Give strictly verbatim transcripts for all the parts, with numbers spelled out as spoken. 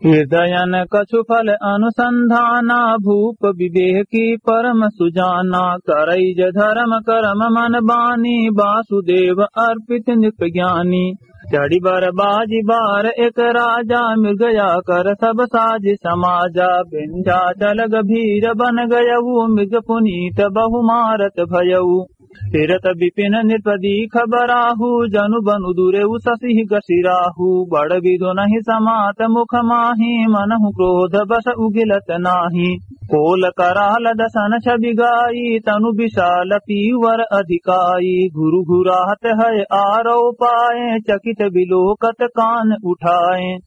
हृदयन कछु फल अनुसंधाना, भूप विवेकी परम सुजाना। करई ज धर्म करम मन बानी, वासुदेव अर्पित नृप ज्ञानी। चढ़ी बर बाजि बार एक राजा, मृग आकर सब साजि समाजा। विंध्याचल गभीर बन गयउ, मृग पुनीत बहु मारत भयउ। फिरत बिपिन नृप दीख बराहु, जनु बनु दुरेउ ससिहि गसिराहु। बड़ बिधु नहिं समात मुख माहि, मनहु क्रोध बस उगिलत नाहि। कोल कराल दसन छबि गाई, तनु विशाल पीवर अधिकाई। घुरु घुरात हए आरौ पाए, चकित बिलोकत कान उठाए।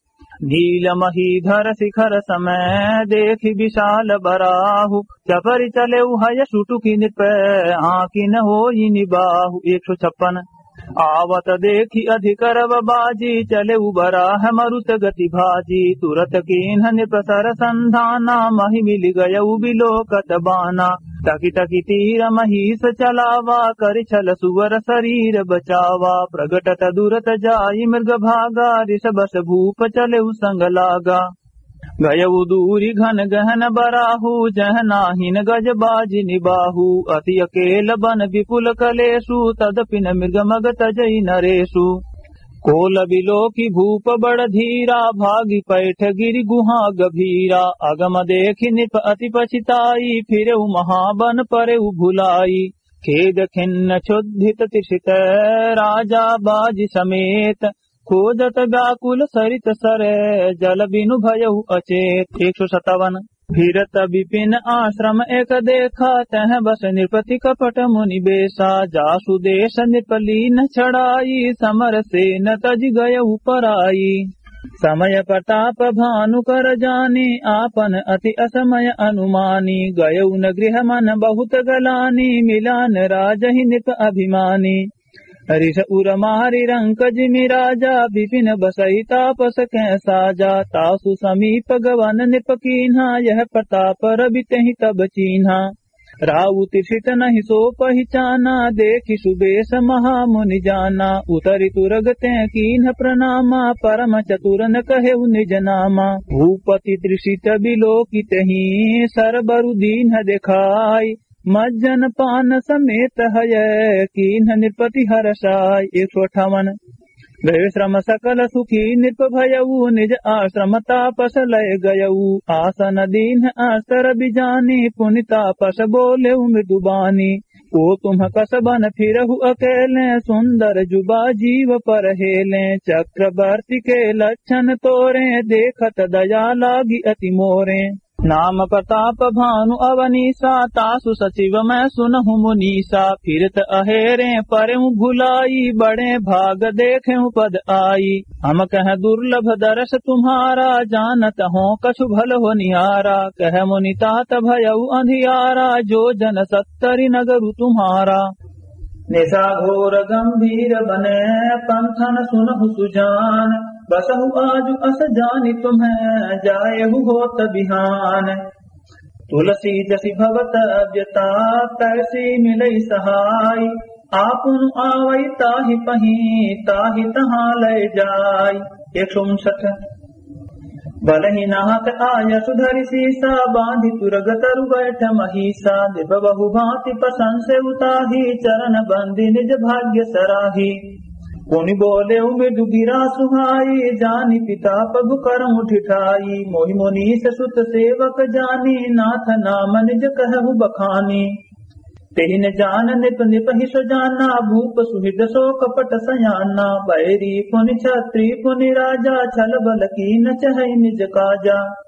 नील महीधर शिखर सम देखि विशाल बराहु, चपरि चलेउ हय सुटुकि नृप, आँखि न होई निबाहु। एक सौ छप्पन। आवत देखि अधिक रव बाजी, चलेउ बराह मरुत गति भाजी। तुरत कीन्ह नृप सर संधाना, महि मिलि गयउ बिलोकत बाना। टकि टकि तीर महीस चलावा, करि छल सुवर सरीर बचावा। प्रगटत दुरत जाइ मृग भागा, रिस बस भूप चलेउ संग लागा। गयउ दूरि घन गहन बराहु, जह नाहिन गज बाजि निबाहु। अति अकेल बन बिपुल कलेसु, तदपि न मृग मग तजइ नरेसु। कोल बिलोकि भूप बड़ धीरा, भागि पैठ गिरि गुहा गभीरा। अगम देखि नृप अति पछिताई, फिरेउ महाबन परेउ भुलाई। खेद खिन्न क्षुद्धित तृषित राजा बाजि समेत, खोजत व्याकुल सरित सर, जल बिनु भयउ अचेत। एक सौ सत्तावन। फिरत बिपिन आश्रम एक देखा, तह बस नृपति कपट मुनि बेसा। जासु देस नृप लीन्ह छड़ाई, समर सेन तजि गयउ पराई। समय प्रताप भानु कर जानी, आपन अति असमय अनुमानी। गयउ न गृह मन बहुत गलानी, मिला न राजहि नृप अभिमानी। रिस उर मारि रंक जिमि राजा, बिपिन बसइ तापस कह साजा। तासु समीप गवन नृप कीन्हा, यह प्रताप रवि तेहि तब चीन्हा। राउ तृषित नहिं सो पहिचाना, देखि सुबेस महामुनि जाना। उतरि तुरग तें कीन्ह प्रणामा, परम चतुर न कहेउ निज नामा। भूपति तृषित बिलोकि तेहि, सर बरु दीन्ह देखाई। मज्जन पान समेत हय, कीन्ह नृपति हरषाय। एक सौ अट्ठावन। गए श्रम सकल सुखी नृप भयउ, निज आश्रम तापस लय गयउ। आसन दीन्ह अस्तर बिजानी, पुनि तापस बोलेउ मृदु बानी। को तुम कस बन फिरहु अकेले, सुंदर जुबा जीव पर हेले। चक्रवर्ती के लक्षण तोरे, देखत दया लागी अति मोरे। नाम प्रताप भानु अवनीसा, तासु सचिव मैं सुनहु मुनीसा। फिरत अहेरे परेउ भुलाई, बड़े भाग देखेउ पद आई। हम कह दुर्लभ दरस तुम्हारा, जानत हों कछु भल होनिहारा। कह मुनि तात भयउ अंधियारा, जो जन सत्तरि नगरु तुम्हारा। निसा घोर गंभीर बने, पंथन सुनहु सुजान। बसहु आजु अस जानि तुम्हें, जाएहु होत बिहान। तुलसी जसि भवत व्यता, तैसी मिलइ सहाय। आपनु आवइ ताहि पहीं, ताहि तहाँ लय जाय। एक सौ उनसठ। बलहि नाथ आयसु धरि सीसा, बाँधि तुरग तरु बैठ महीसा। नृप बहु भाँति प्रशंसे उताही, चरण बंदी निज भाग्य सराही। पुनि बोलेउ मृदु गिरा सुहाई, जानि पिता पगु करमु ठिठाई। मोहि मुनीस सुत सेवक जानी, नाथ नाम निज कहहु बखानी। तेहि न जान नृप नृपहि सो जाना, भूप सुहृद सो कपट सयाना। बैरी पुनि छत्री पुनि राजा, छल बल कीन चहइ निज काजा।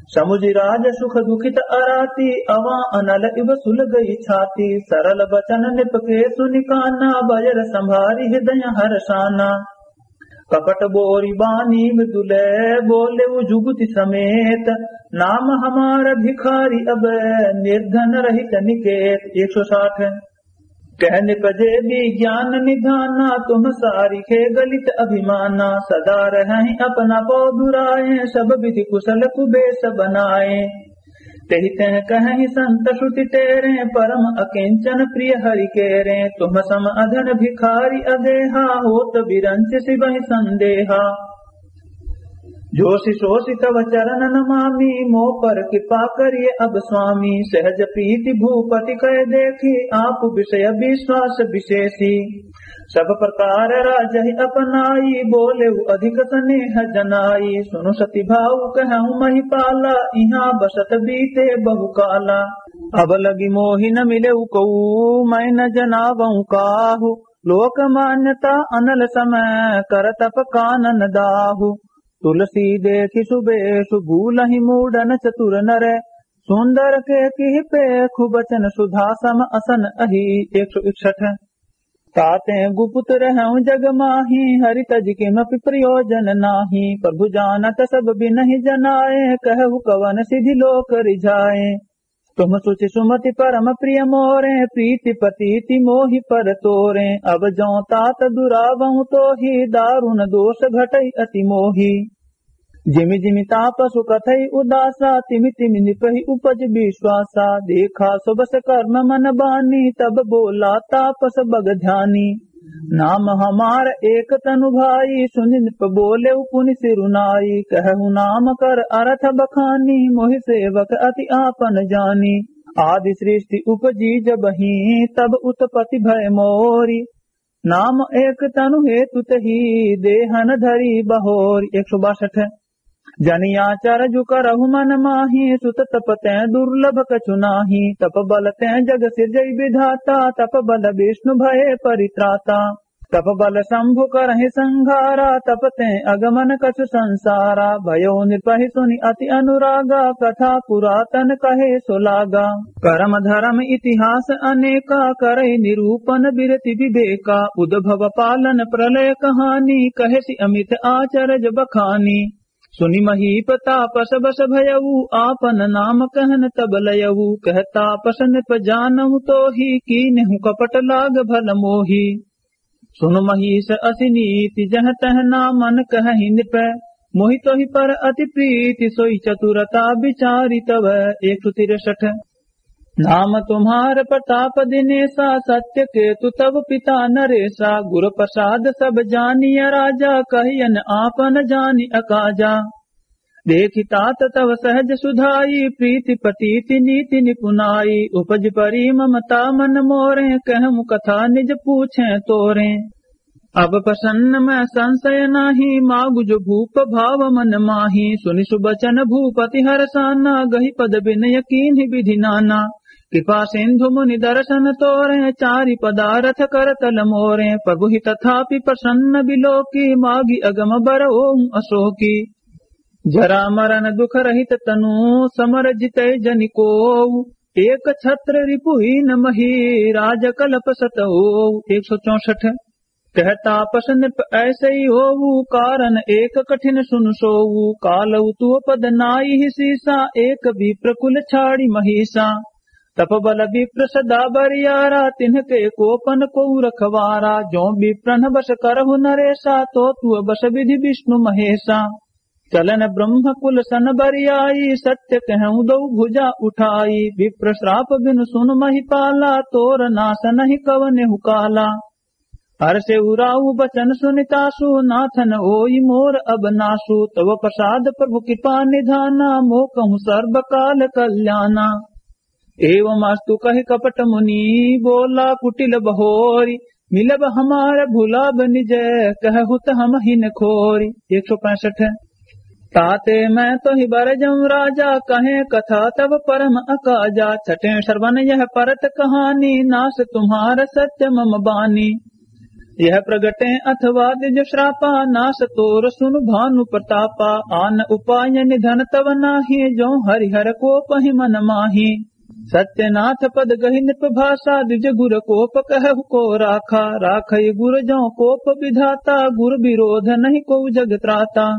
समुझि राज सुख दुखित अराती, अवाँ अनल इव सुलगइ छाती। सरल बचन नृप के सुनि काना, बजर संभारि हृदय हरषाना। कपट बोरि बानी मृदुले, बोलेउ जुगुति समेत। नाम हमार भिखारी अब, निर्धन रहित निकेत। एक सौ साठ। कह नृप जे विज्ञान निधाना, तुम सारिखे गलित अभिमाना। सदा रहहिं अपना पौ दुराए, सब विधि कुशल कुबेस बनाए। तेहि तें कहहिं संत श्रुति टेरे, परम अकिंचन प्रिय हरि केरे। तुम सम अधन भिखारी अगेहा, होत विरंचि सिबहि संदेहा। जोषि सोषि तव चरण नमामि, मो पर कृपा करिये अब स्वामी। सहज प्रीति भूपति कहे देखि, आप विषय विश्वास विशेषी। सब प्रकार राजहि अपनाई, बोलेउ अधिक स्नेह जनाई। सुनु सति भाव कहउँ महिपाला, इहाँ बसत बीते बहुकाला। अब लगि मोहि न मिलेउ कोऊ, मैं न जनावउँ काहू। लोक मान्यता अनल समय, कर तप कानन दाहू। तुलसी देखि सुबेसु, भूलहि मूढ़न चतुर नर। सुंदर केकिहि पेखु, बचन सुधा सम असन अही। एक सौ इकसठ। तातें गुपुत रहउँ जग माही, हरि तजि किमपि प्रयोजन नाही। प्रभु जानत सब बिनहि जनाए, कहहु कवन सिधि लोक रिझाए। तुम सुचि सुमति परम प्रिय मोरे, प्रीति प्रतीति मोहि पर तोरे। अब जौं तात दुरावउँ तोहि, दारुन दोष घटइ अति मोहि। जिमि जिमि तापसु कथई उदासा, तिमि तिमि निपहि उपज विश्वासा। देखा सुबस कर्म मन बानी, तब बोला तापस बग ध्यानी। नाम हमार एक तनु भाई, सुनि नृप बोलेउ पुनि सिरु नाई। कहहु नाम कर अरथ बखानी, मोहि सेवक अति आपन जानी। आदि सृष्टि उपजी जबही, तब उत्पत्ति भय मोरी। नाम एक तनु हेतु तही, देहन धरी बहोरी। एक सौ बासठ। जनि आचरजु करहु मन माही, सुत तप तें दुर्लभ कछु नाही। तप बल तें जग सिरजई विधाता, तप बल विष्णु भये परित्राता। तप बल शंभु करहिं संघारा, तप तें अगमन कछु संसारा। भयो नृपहि सुनि अति अनुरागा, कथा पुरातन कहे सो लागा। करम धरम इतिहास अनेका, करइ निरूपन बिरति विवेका। उद्भव पालन प्रलय कहानी, कहसि अमित आचरज बखानी। सुनि महीप तापस बस भयऊ, आपन नाम कहन तब लयऊ। कह तापस नृप जानहु तोहि, कीन्हु कपट लाग भल मोहि। सुनु महीस असि नीति, जह तह नामन कहहि नृप। मोहि तोहि पर अति प्रीति, सोइ चतुरता बिचारि तव। एक सौ तिरसठ। नाम तुम्हार प्रताप दिनेसा, सत्य केतु तव पिता नरेसा। गुर प्रसाद सब जानिय राजा, कहियन आपन जानि अकाजा। देखि तात तव सहज सुधाई, प्रीति प्रतीति नीति निपुनाई। उपजि परी ममता मन मोरे, कहउँ कथा निज पूछें तोरे। अब प्रसन्न मैं संशय नाहीं, मागु जो भूप भाव मन माहीं। सुनि सुबचन भूपति हरसाना, गहि पद बिनय कीन्हि विधि नाना। कृपा सिंधु मुनि दरसन तोरे, चारि पदारथ करतल मोरे। प्रभु ही तथापि प्रसन्न बिलोकी, मागि अगम बर ओहु अशोकी। जरा मरण दुख रहित तनु, समर जितै जनि कोउ। एक छत्र रिपु हीन मही, राज कलप सत होउ। एक सौ चौसठ। कह तापस नृप ऐसइ होउ, कारण एक कठिन सुनु सोउ। कालउ तुअ पद नाइहि सीसा, एक विप्र कुल छाड़ि महीसा। तप बल विप्र सदा बरियारा, तिन्हके कोप न कोउ रखवारा। जो विप्रन बस करहु नरेसा, तो तुअ बस विधि विष्णु महेसा। चलन ब्रह्म कुल सन बरियाई, सत्य कहउँ दउ भुजा उठाई। विप्र श्राप बिनु सुन महिपाला, तोर नास नहीं कवनेहु काला। हरषे उराउ बचन सुनि तासु, नाथन ओई मोर अब नासु। तव प्रसाद प्रभु कृपा निधाना, मोकहु सर्व काल कल्याना। एवमस्तु कहि कपट मुनि, बोला कुटिल बहोरी। मिलब हमार भुलाब निज, कहहु त हमहिं न खोरी। एक सौ पैंसठ। ताते मैं तोहि बर जउँ राजा, कहें कथा तब परम अकाजा। छठें श्रवण यह परत कहानी, नास तुम्हार सत्य मम बानी। यह प्रगटें अथवा द्विज श्रापा, नास तोर सुनु भानु प्रतापा। आन उपाय निधन तव नाहीं, जउँ हरिहर कोपहि मन माहीं। सत्यनाथ पद गहि नृप भाषा, द्विज गुर कोप कहहु को राखा। राखइ गुर जउँ कोप विधाता, गुर विरोध नहीं कोउ जग त्राता।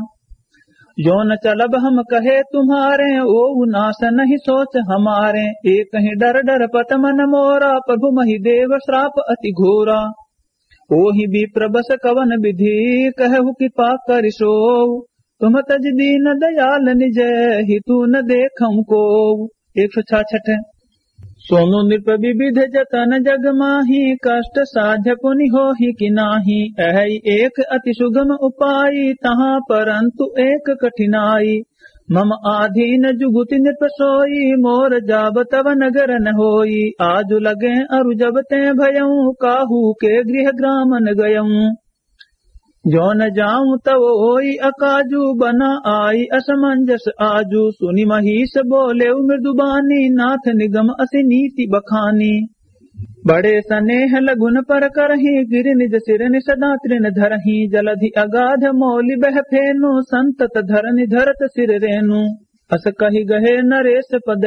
जो न चलब हम कहे तुम्हारे, ओहु नास नहीं सोच हमारे। एकहि डर डरपत मन मोरा, प्रभु महि देव श्राप अति घोरा। ओहि विप्र बस कवन विधि, कहहु कृपा करि सोउ। तुम तजि दीन दयाल निज, हितु न देखउँ कोउ। एक सौ छाछठ। सोनु नृप विविध जतन जग माही, कष्ट साध्य पुनि होहि कि नाही। अहइ एक अति सुगम उपाई, तहाँ परंतु एक कठिनाई। मम आधीन जुगुति नृप सोई, मोर जाब तब नगर न होई। आजु लगे अरु जब तें भयऊँ, काहू के गृह ग्राम न गयऊँ। जो न जाऊँ तव ओई अकाजू, बना आई असमंजस आजू। सुनि महीस बोलेउ मृदुबानी, नाथ निगम असि नीति बखानी। बड़े सनेह लघुन पर करही, गिरि निज सिरनि सदा तृण धरही। जलधि अगाध मोलि बह फेनु, संतत धरनि धरत सिर रेनु। अस कहि गहे नरेस पद,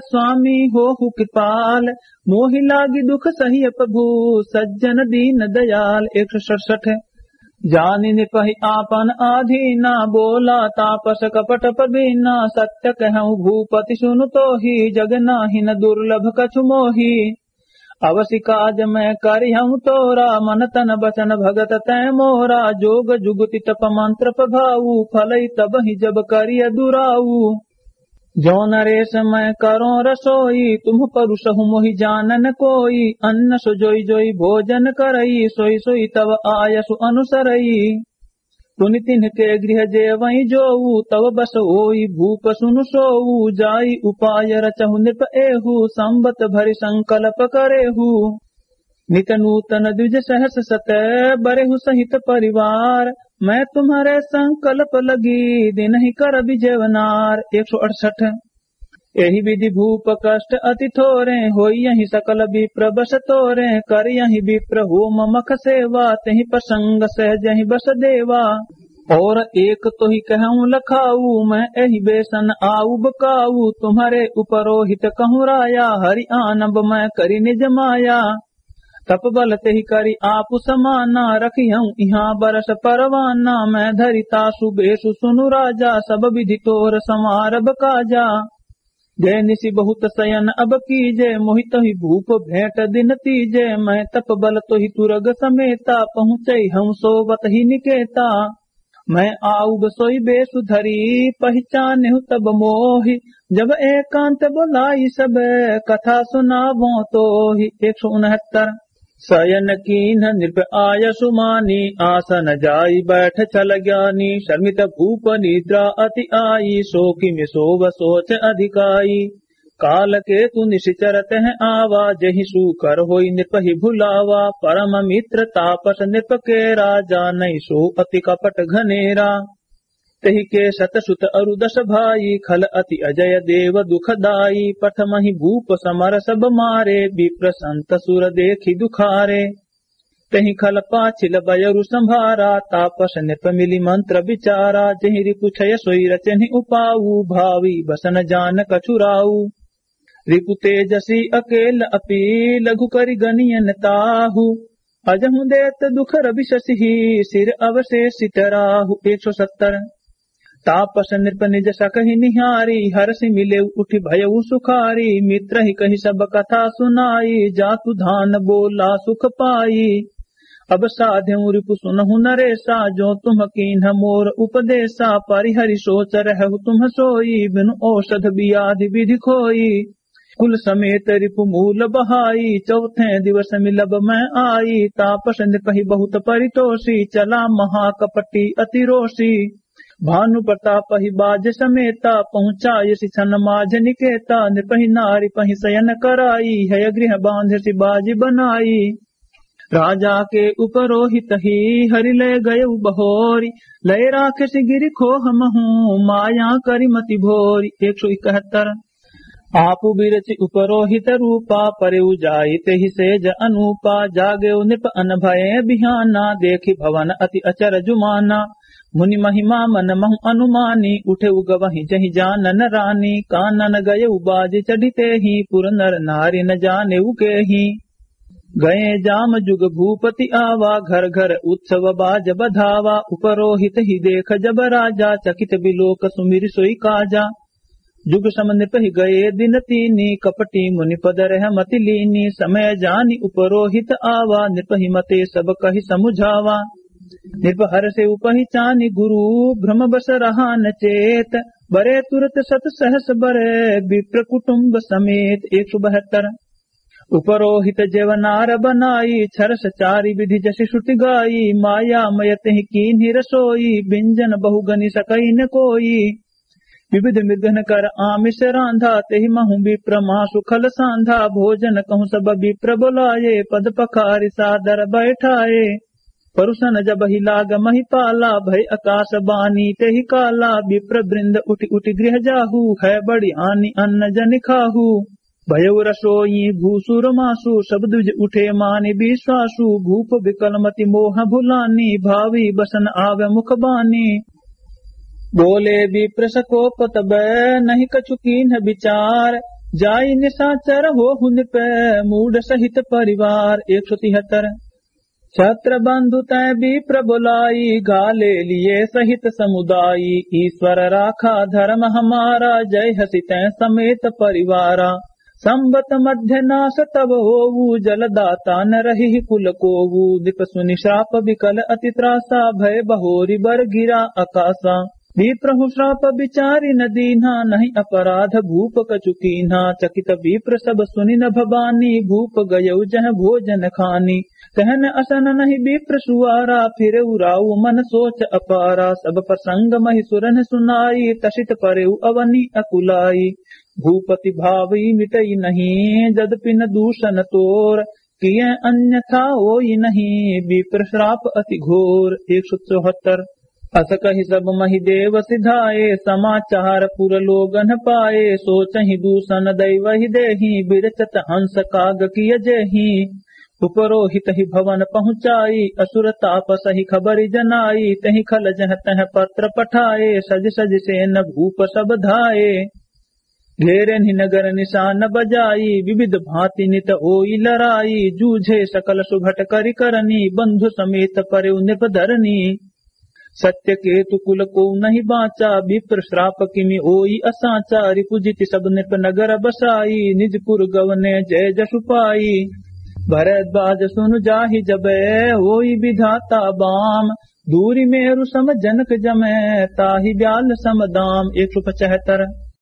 स्वामी होहु कृपाल। मोहि लागि दुख सहिय प्रभु, सज्जन दीन दयाल। एक सौ सड़सठ। जानि नृपहि आपन आधीना, बोला तापस कपट प्रवीना। सत्य कहूँ भूपति सुनु तोहि, जग नाहिन दुर्लभ कछु मोहि। अवसि काज मैं करिहउँ तोरा, मन तन बचन भगत तैं मोरा। जोग जुगति तप मंत्र प्रभाऊ, फलइ तबहि जब करिय दुराऊ। जो नरेस मैं करों रसोई, तुम परुसहु मोहि जानन कोई। अन्न सो जोई जोई भोजन करई, सोई सोई तव आयसु अनुसरई। पुनि तिन्हके गृह जेवई जोऊ, तव बस ओई भूप सुनु सोऊ। जाई उपाय रचहु नृप एहू, संबत भरि संकल्प करेहू। नित नूतन द्विज सहस सत, बरेहु सहित परिवार। मैं तुम्हरे संकल्प लगी, दिनहि करबि जेवनार। एक सौ अड़सठ। एहि विधि भूप कष्ट अति थोरे, होइयहि सकल विप्र बस तोरे। करियहि विप्र होम मख सेवा, तेहि प्रसंग सहजहि बस देवा। और एक तोहि कहउँ लखाऊ, मैं एहि बेसन आऊ बकाऊ। तुम्हरे उपरोहित कहूँ राया, हरि आनब मैं करि निज माया। तप बल तेहि करि आपु समाना, रखिहउँ इहाँ बरस परवाना। मैं धरि तासु बेसु सुनु राजा, सब विधि तोर संवारब काजा। जय निसि बहुत सयन अब कीजे, मोहि तोहि भूप भेंट दिन तीजे। मैं तप बल तोहि तुरग समेता, पहुँचइहउँ सोवत ही निकेता। मैं आउब सोई बेसु धरी, पहिचानेहु तब मोहि। जब एकांत बोलाई सब, कथा सुनावों तोहि। एक सौ उनहत्तर। सयन कीन्ह नृप आयसु मानी, आसन जाई बैठ छल ज्ञानी। शर्मित भूप निद्रा अति आई, सो किमि सोव सोच अधिकाई। काल केतु निशिचर तह आवा, जहि सूकर होई नृपहि भुलावा। परम मित्र तापस नृप केरा, जानइ सो अति कपट घनेरा। तेहि के सत सुत अरु दस भाई, खल अति अजय देव दुखदाई। प्रथमहि भूप समर सब मारे, विप्र संत सुर देखि दुखारे। तेहि खल पाछिल बयरु संभारा, तापस नृप मिलि मंत्र विचारा। जेहि रिपु छय सोई रचनि उपाऊ, भावी बसन जान कछुराऊ। रिपु तेजसी अकेल अपि, लघु करि गनियन ताहु। अजहु देत दुख रवि शशिहि, सिर अवशेषित राहु। एक सौ सत्तर। तापस नृप निज सकहि निहारी, हरषि मिलेउ उठि भयउ सुखारी। मित्रहि कहि सब कथा सुनाई, जातु धान बोला सुख पाई। अब साध्यउ रिपु सुनहु नरेसा, जो तुम कीन्ह मोर उपदेसा। परिहरि सोच रहहु तुम सोई, बिनु औषध बियाधि विधि खोई। कुल समेत रिपु मूल बहाई, चौथे दिवस मिलब मैं आई। तापस नृपहि बहुत परितोषी, चला महाकपटी अति रोषी। भानु प्रतापहि बाज समेता, पहुँचायसि छन माझ निकेता। नृपहि नारि पहि सयन कराई, हय गृह बाँधसि बाज बनाई। राजा के उपरोहितहि हरि लय गयउ बहोरि, लय राखसि गिरि खोह महूँ, माया करि मति भोरि। एक सौ इकहत्तर। आपु बिरचि उपरोहित रूपा, परेउ जाई तेहि सेज अनूपा। जागेउ नृप अनभये बिहाना, देखि भवन अति अचरजु माना। मुनि महिमा मन महु अनुमानी, उठेउ गवहि जहि जानन रानी। कानन गयउ बाजि चढ़ि तेहि, पुर नर नारि न जानेउ केहि। गए जाम जुग भूपति आवा, घर घर उत्सव बाज बधावा। उपरोहित ही देख जब राजा, चकित बिलोक सुमिरि सोई काजा। जुग सम नृपहि गए दिन तीनी, कपटी मुनि पद रह मति लीनी। समय जानि उपरोहित आवा, नृपहि मते सब कहि समुझावा। नृप हरषि उपहि चानि गुरु भ्रम बस रहा न चेत, बरे तुरत सत सहस बरे विप्र कुटुंब समेत। एक सौ बहत्तर। उपरोहित जेव नार बनाई, छरस चारि विधि जसि श्रुति गाई, माया मय तिहि कीन्हि रसोई, बिंजन बहुगनि सकइ न कोई। विविध मृगन कर आमिष रांधा, तेहि महु विप्र मासु खल सांधा। भोजन कहु सब विप्र बोलाए, पद पखारि सादर बैठाए। परुषन जब ही लाग महिपाला, भय आकाश बानी तेहि काला। विप्र वृंद उठि उठि गृह जाहु, है बड़ी हानि अन्न जनि खाहु। भयउ रसोई भूसुर मासु, सब द्विज उठे मानि विश्वासु। भूप विकल मति मोह भुलानी, भावी बसन आवे मुख बानी। बोले विप्र सकोप तब नहीं कछु कीन्ह विचार, जाई निशाचर होहु नृप मूढ़ सहित परिवार। एक सौ तिहत्तर। छत्र बंधु तै विप्र बोलाई, घाले लिए सहित समुदाई। ईश्वर राखा धर्म हमारा, जय हसि तै समेत परिवारा। संवत मध्य नाश तब होऊ, जलदाता न रही कुल कोऊ। नृप सुनि श्राप विकल अति त्रासा, भय बहोरि बर गिरा अकासा। विप्र हु श्राप विचारि न दीन्हा, नहीं अपराध भूप कछु कीन्हा। चकित विप्र सब सुनि नभ बानी, भूप गयउ जह भोजन खानी। कहन असन नहीं विप्र सुवारा, फिरउ राउ मन सोच अपारा। सब प्रसंग महि सुरन सुनाई, तसित परेउ अवनि अकुलाई। भूपति भावइ मिटइ नहीं, जदपि न दूषन तोर, किए अन्यथा होई नहीं, विप्र श्राप अति घोर। एक सौ चौहत्तर। अस कहि सब महि देव सिधाए, समाचार पुर लोगन पाए। सोचहि दूषन दैवहि देही, विरचत हंस काग किय जेही। उपरोहित ही भवन पहुँचाई, असुर तापस ही खबरि जनाई। तेहि खल जह तह पत्र पठाए, सजि सजि सेन भूप सब धाए। घेरेन्हि नगर निशान बजाई, विविध भाँति नित होई लड़ाई। जूझे सकल सुभट करि करनी, बंधु समेत परेउ नृप धरनी। सत्यकेतु कुल कोउ नहीं बाँचा, विप्र श्राप किमि होई असाँचा। रिपुजिति सब नृप नगर बसाई, निज पुर गवने जय जसु पाई। भरद्वाज सुनु जाहि जबै, होई विधाता बाम। दूरि मेरु सम जनक जमै, ताहि ब्याल सम दाम। एक सौ पचहत्तर।